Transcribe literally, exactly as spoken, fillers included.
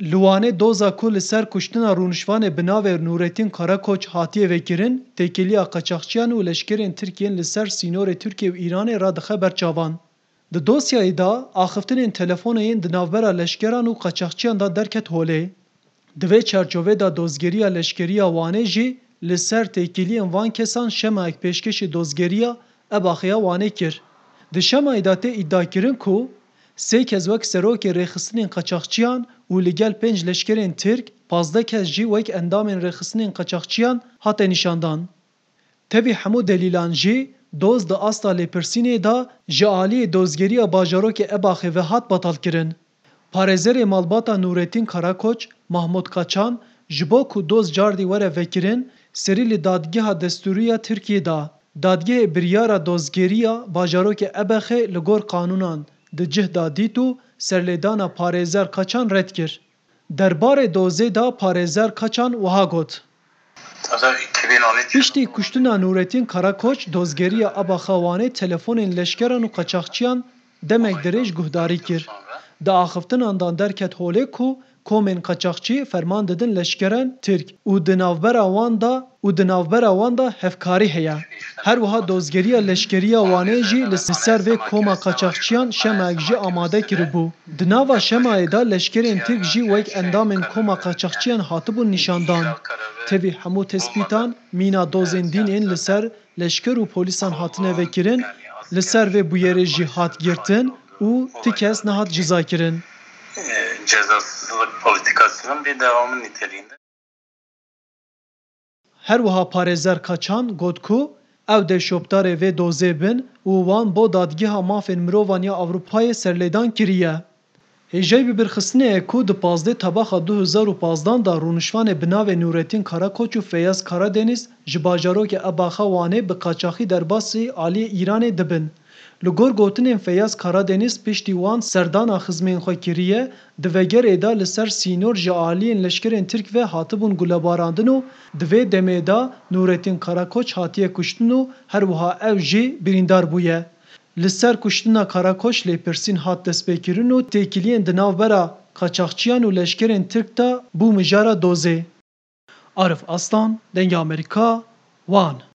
Li Wanê doza ku li ser kuştina rûnişvanê bi navê Nûretîn Karakoç hatiye vekirin, têkiliya qaçaxçiyan û leşkerên Tirk yên li ser sînorê Tirkiye û Îranê radixe ber çavan. Di dosyayê de axiftinên telefonê yên di navbera leşkeran û qaçaxçiyan de derket holê. Di vê çarçovê de dozgeriya leşkerî ya Wanê jî li ser têkiliyên van kesan şemayek pêşkêşî dozgeriya Ebaxê ya Wanê kir. Di şemayê de tê îdiakirin ku sê kes wek serokê rêxistinên qaçaxçiyan û li gel pênc leşkerên Tirk, pazdeh kes jî wek endamên rêxistinên qaçaxçiyan hate nîşandan. Tevî hemû delîlan jî doz di asta lêpirsînê de ji aliyê dozgeriya bajarokê Ebaxê ve hat betalkirin. Parêzerê malbata Nûretîn Karakoç, Mahmut Kaçan, ji bo ku doz cardî were vekirin, serî li dadgeha destûrî ya Tirkiyê da. Dadgehê biryara dozgeriya bajarokê Ebaxê li gor qanûnan di cih da dît û serlêdana parêzer Kaçan red kir. Derbarê dozê de parêzer Kaçan wiha got: Piştî kuştina Nûretîn Karakoç, dozgeriya Ebaxa Wanê telefonên leşkeran û qaçaxçiyan demek dirêj guhdarî kir. Di axiftinan de derket holê ku komên qaçaxçî ferman didin leşkerên Tirk û di navbera wan de û di navbera wan de hevkarî heye. Her wiha dozgeriya leşkerî ya Wanê jî li ser vê koma qaçaxçiyan şemayek jî amade kiribû. Di nava şemayê de leşkerên Tirk jî wek endamên koma qaçaxçiyan hatibûn nîşandan. Tevî hemû tespîtan, mîna dozên dîn ên li ser leşker û polîsan hatine vekirin, li ser vê bûyerê jî hat girtin û ti kes nehat cizakirin. Cezasızlık politikasının bir devamı niteliğinde. Her wiha parêzer Kaçan got ku ew dê şopdarê vê dozê bin û wan bo Dadgeha Mafên Mirovan ya Ewropayê serlêdan kiriye. Hêjayî bibîrxistinê ye ku di pazdeh Tebaxa du hezar û pazdan de rûnişvanê bi navê Nûretîn Karakoç û Feyyaz Karadeniz ji bajarokê Ebaxa Wanê bi qaçaxî derbasî aliyê Îranê dibin. Li gor gotinên Feyyaz Karadeniz, piştî wan serdana xizmên xwe kiriye, di vegerê de li ser sînor ji aliyên leşkerên Tirk ve hatibûn gulebarandin û di vê demê de Nûretîn Karakoç hatiye kuştin û her wiha ew jî birîndar bûye. Li ser kuştina Karakoç lêpirsîn hat destpêkirin û têkiliyên di navbera qaçaxçiyan û leşkerên Tirk de bû mijara dozê. Arif Aslan, Dengê Amerîka, Wan.